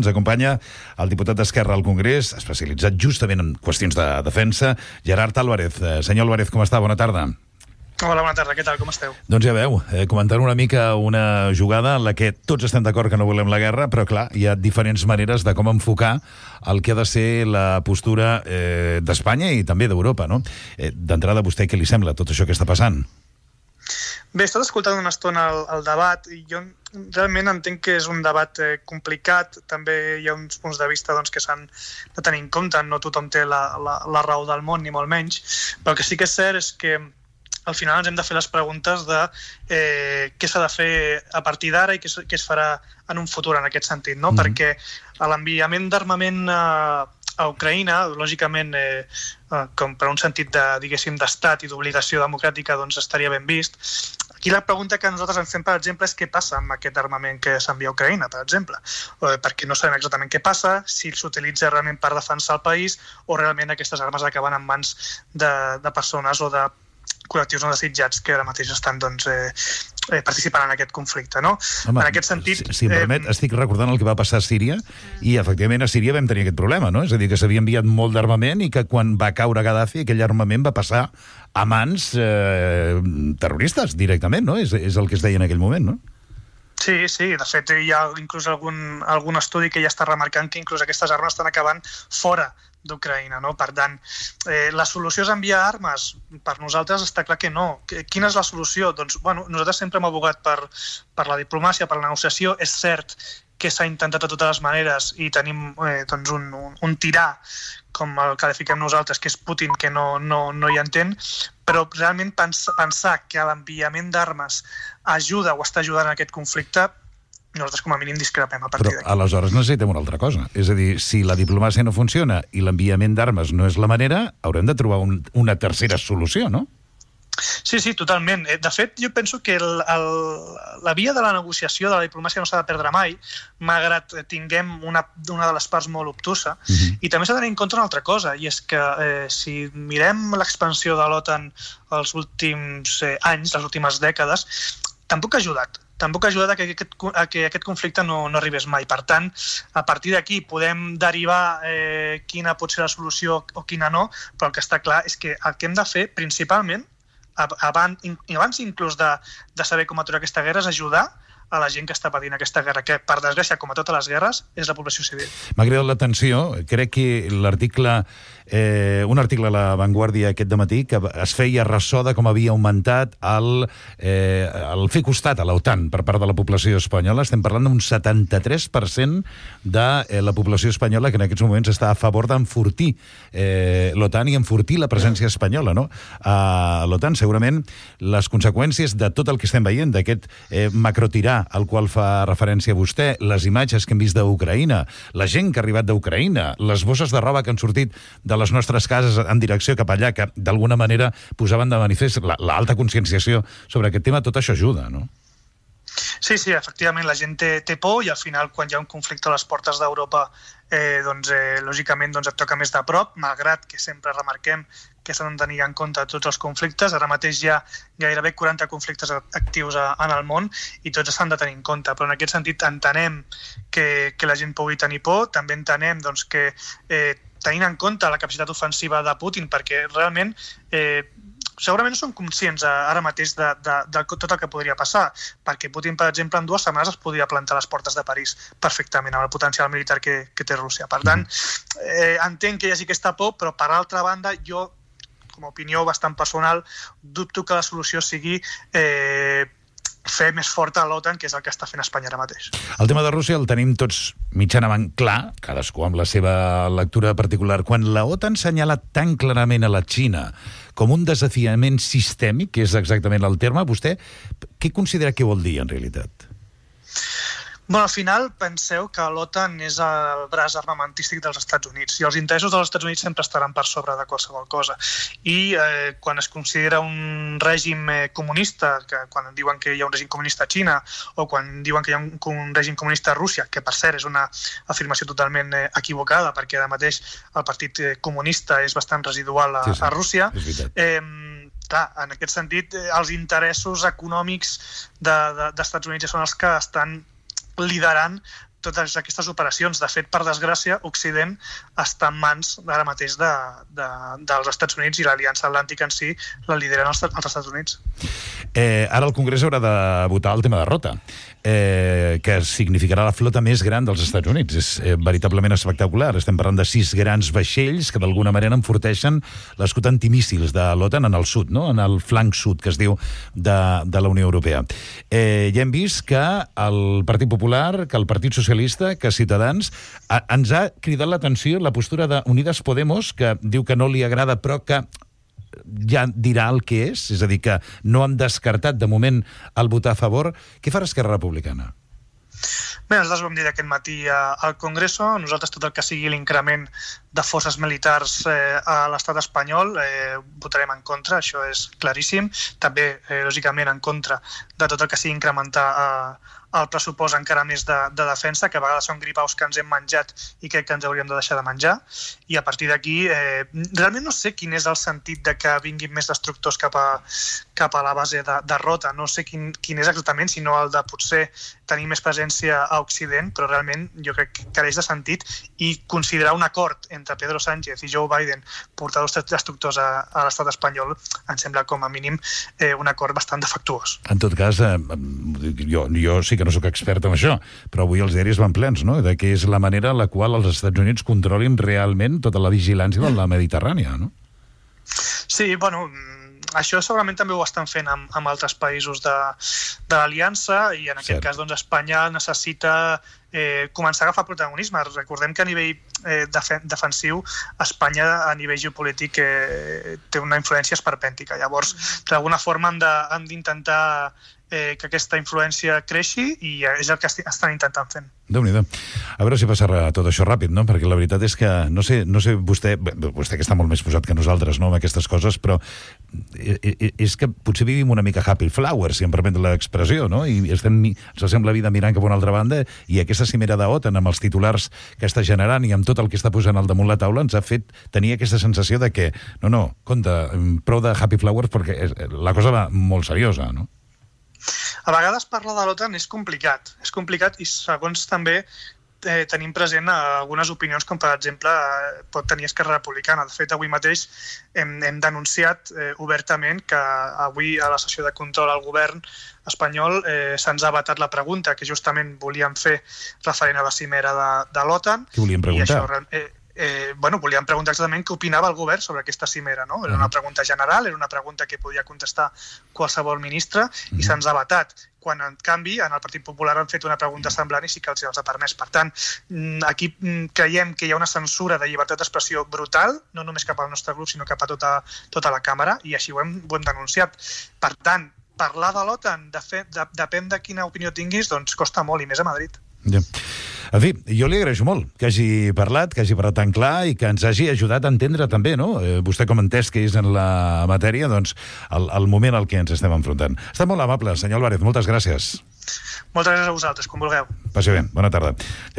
Ens acompanya el diputat d'Esquerra al Congrés, especialitzat justament en qüestions de defensa, Gerard Álvarez. Senyor Álvarez, com està? Bona tarda. Hola, bona tarda. Què tal? Com esteu? Doncs ja veu, comentant una mica una jugada en la que tots estem d'acord que no volem la guerra, però clar, hi ha diferents maneres de com enfocar el que ha de ser la postura d'Espanya i també d'Europa, no? D'entrada, vostè què li sembla tot això que està passant? Bé, he estat escoltant una estona el debat i jo realment entenc que és un debat complicat. També hi ha uns punts de vista que s'han de tenir en compte. No tothom té la raó del món, ni molt menys. Però el que sí que és cert és que al final ens hem de fer les preguntes de què s'ha de fer a partir d'ara i què es farà en un futur en aquest sentit, no? Perquè l'enviament d'armament a Ucraïna, lògicament, com per un sentit d'estat i d'obligació democràtica, doncs estaria ben vist. Aquí la pregunta que nosaltres ens fem, per exemple, és què passa amb aquest armament que s'envia a Ucraïna, per exemple. Perquè no sabem exactament què passa, si s'utilitza realment per defensar el país o realment aquestes armes acaben en mans de persones o de col·lectius no desitjats que ara mateix estan participant en aquest conflicte, no? Home, en aquest sentit... Si em permet, estic recordant el que va passar a Síria i, efectivament, a Síria vam tenir aquest problema, no? És a dir, que s'havia enviat molt d'armament i que quan va caure Gaddafi aquell armament va passar a mans terroristes directament, no? És el que es deia en aquell moment, no? Sí, de fet hi ha inclús algun estudi que ja està remarcant que inclús aquestes armes estan acabant fora d'Ucraïna, no? Per tant, la solució és enviar armes? Per nosaltres està clar que no. Quina és la solució? Doncs, nosaltres sempre hem abogat per la diplomàcia, per la negociació. És cert que s'ha intentat de totes les maneres i tenim un tirà, com el qualifiquem nosaltres, que és Putin, que no hi entén, però realment pensar que l'enviament d'armes ajuda o està ajudant en aquest conflicte, nosaltres com a mínim discrepem a partir d'aquí. Però aleshores necessitem una altra cosa. És a dir, si la diplomàcia no funciona i l'enviament d'armes no és la manera, haurem de trobar una tercera solució, no? Sí, totalment. De fet, jo penso que la via de la negociació, de la diplomàcia, no s'ha de perdre mai, malgrat tinguem una de les parts molt obtusa. I també s'ha de tenir en compte una altra cosa, i és que si mirem l'expansió de l'OTAN els últims anys, les últimes dècades, tampoc ha ajudat. Tampoc ha ajudat a que aquest conflicte no arribés mai. Per tant, a partir d'aquí podem derivar quina pot ser la solució o quina no, però el que està clar és que el que hem de fer, principalment, abans inclús de saber com aturar aquesta guerra, és ajudar a la gent que està patint aquesta guerra, que, per desgràcia, com a totes les guerres, és la població civil. M'ha cridat l'atenció, crec que un article a La Vanguardia aquest dematí que es feia ressò de com havia augmentat el fer costat a l'OTAN per part de la població espanyola. Estem parlant d'un 73% de la població espanyola que en aquests moments està a favor d'enfortir l'OTAN i enfortir la presència espanyola, no? A l'OTAN, segurament, les conseqüències de tot el que estem veient, d'aquest macrotirà al qual fa referència vostè, les imatges que hem vist d'Ucraïna, la gent que ha arribat d'Ucraïna, les bosses de roba que han sortit de les nostres cases en direcció cap allà, que d'alguna manera posaven de manifest l'alta conscienciació sobre aquest tema, tot això ajuda, no? Sí, efectivament, la gent té por i al final quan hi ha un conflicte a les portes d'Europa lògicament et toca més de prop, malgrat que sempre remarquem que s'han de tenir en compte tots els conflictes. Ara mateix hi ha gairebé 40 conflictes actius en el món i tots s'han de tenir en compte, però en aquest sentit entenem que la gent pugui tenir por, també entenem que tenint en compte la capacitat ofensiva de Putin, perquè realment segurament no són conscients ara mateix de tot el que podria passar, perquè Putin, per exemple, en 2 setmanes es podria plantar a les portes de París perfectament, amb el potencial militar que té Rússia. Per tant, entenc que hi hagi aquesta por, però per altra banda, jo, com a opinió bastant personal, dubto que la solució sigui fer més forta l'OTAN, que és el que està fent Espanya ara mateix. El tema de Rússia el tenim tots mitjanament clar, cadascú amb la seva lectura particular. Quan la OTAN senyala tan clarament a la Xina com un desafiament sistèmic, que és exactament el terme, vostè què considera que vol dir, en realitat? Al final penseu que l'OTAN és el braç armamentístic dels Estats Units i els interessos dels Estats Units sempre estaran per sobre de qualsevol cosa. I quan es considera un règim comunista, quan diuen que hi ha un règim comunista a Xina o quan diuen que hi ha un règim comunista a Rússia, que per cert és una afirmació totalment equivocada perquè ara mateix el partit comunista és bastant residual a Rússia, clar, en aquest sentit els interessos econòmics dels Estats Units són els que estan liderant totes aquestes operacions. De fet, per desgràcia, Occident està en mans ara mateix dels Estats Units, i l'Aliança Atlàntica en si la lideren els Estats Units. Ara el Congrés haurà de votar el tema de Rota, que significarà la flota més gran dels Estats Units. És veritablement espectacular. Estem parlant de 6 grans vaixells que d'alguna manera enforteixen l'escut antimíssils de l'OTAN en el sud, no? En el flanc sud, que es diu, de la Unió Europea. Ja hem vist que el Partit Popular, que el Partit Socialista, que Ciutadans, ens ha cridat l'atenció la postura d'Unidas Podemos, que diu que no li agrada, però que ja dirà el que és a dir, que no han descartat de moment el votar a favor. Què farà Esquerra Republicana? Bé, nosaltres vam dir aquest matí al Congreso, nosaltres tot el que sigui l'increment de forces militars a l'estat espanyol votarem en contra, això és claríssim. També, lògicament, en contra de tot el que sigui incrementar el pressupost encara més de defensa, que a vegades són gripaus que ens hem menjat i crec que ens hauríem de deixar de menjar. I a partir d'aquí, realment no sé quin és el sentit de que vinguin més destructors cap a la base de Rota. No sé quin és exactament, sinó el de potser tenir més presència a Occident, però realment jo crec que careix de sentit, i considerar un acord entre Pedro Sánchez i Joe Biden portar dos destructors a l'estat espanyol em sembla com a mínim un acord bastant defectuós. En tot cas, jo sí que no sóc expert en això, però avui els diaris van plens, no?, de que és la manera en la qual els Estats Units controlin realment tota la vigilància de la Mediterrània, no? Sí, bueno, això segurament també ho estan fent amb altres països de l'Aliança, i en aquest cas doncs, Espanya necessita començar a agafar protagonisme. Recordem que a nivell defensiu Espanya a nivell geopolític té una influència esperpèntica. Llavors, d'alguna forma han d'intentar que aquesta influència creixi, i és el que estan intentant fent. Déu-n'hi-do. A veure si passarà tot això ràpid, no? Perquè la veritat és que, no sé vostè que està molt més posat que nosaltres, no?, amb aquestes coses, però és que potser vivim una mica happy flower, si em permet l'expressió, no? I ens passem la vida mirant cap a una altra banda, i aquesta cimera d'OTAN amb els titulars que està generant i amb tot el que està posant al damunt la taula ens ha fet tenir aquesta sensació de que, no, compte, prou de happy flowers, perquè la cosa va molt seriosa, no? A vegades parlar de l'OTAN és complicat, i segons també tenim present algunes opinions, com per exemple pot tenir Esquerra Republicana. De fet, avui mateix hem denunciat obertament que avui a la sessió de control al govern espanyol se'ns ha vetat la pregunta que justament volíem fer referent a la cimera de l'OTAN. Què volíem preguntar? Volíem preguntar exactament què opinava el govern sobre aquesta cimera, no? Era una pregunta general, era una pregunta que podia contestar qualsevol ministre, i se'ns ha vetat. Quan, en canvi, en el Partit Popular han fet una pregunta semblant i sí que els ha permès. Per tant, aquí creiem que hi ha una censura de llibertat d'expressió brutal, no només cap al nostre grup, sinó cap a tota la càmera, i així ho hem denunciat. Per tant, parlar de l'OTAN, depèn de quina opinió tinguis, doncs costa molt, i més a Madrid. Ja. En fi, jo li agraeixo molt que hagi parlat tan clar i que ens hagi ajudat a entendre també, no? Vostè com entès que és en la matèria, doncs, el moment al que ens estem enfrontant. Està molt amable, senyor Álvarez, moltes gràcies. Moltes gràcies a vosaltres, com vulgueu. Passi bé, bona tarda.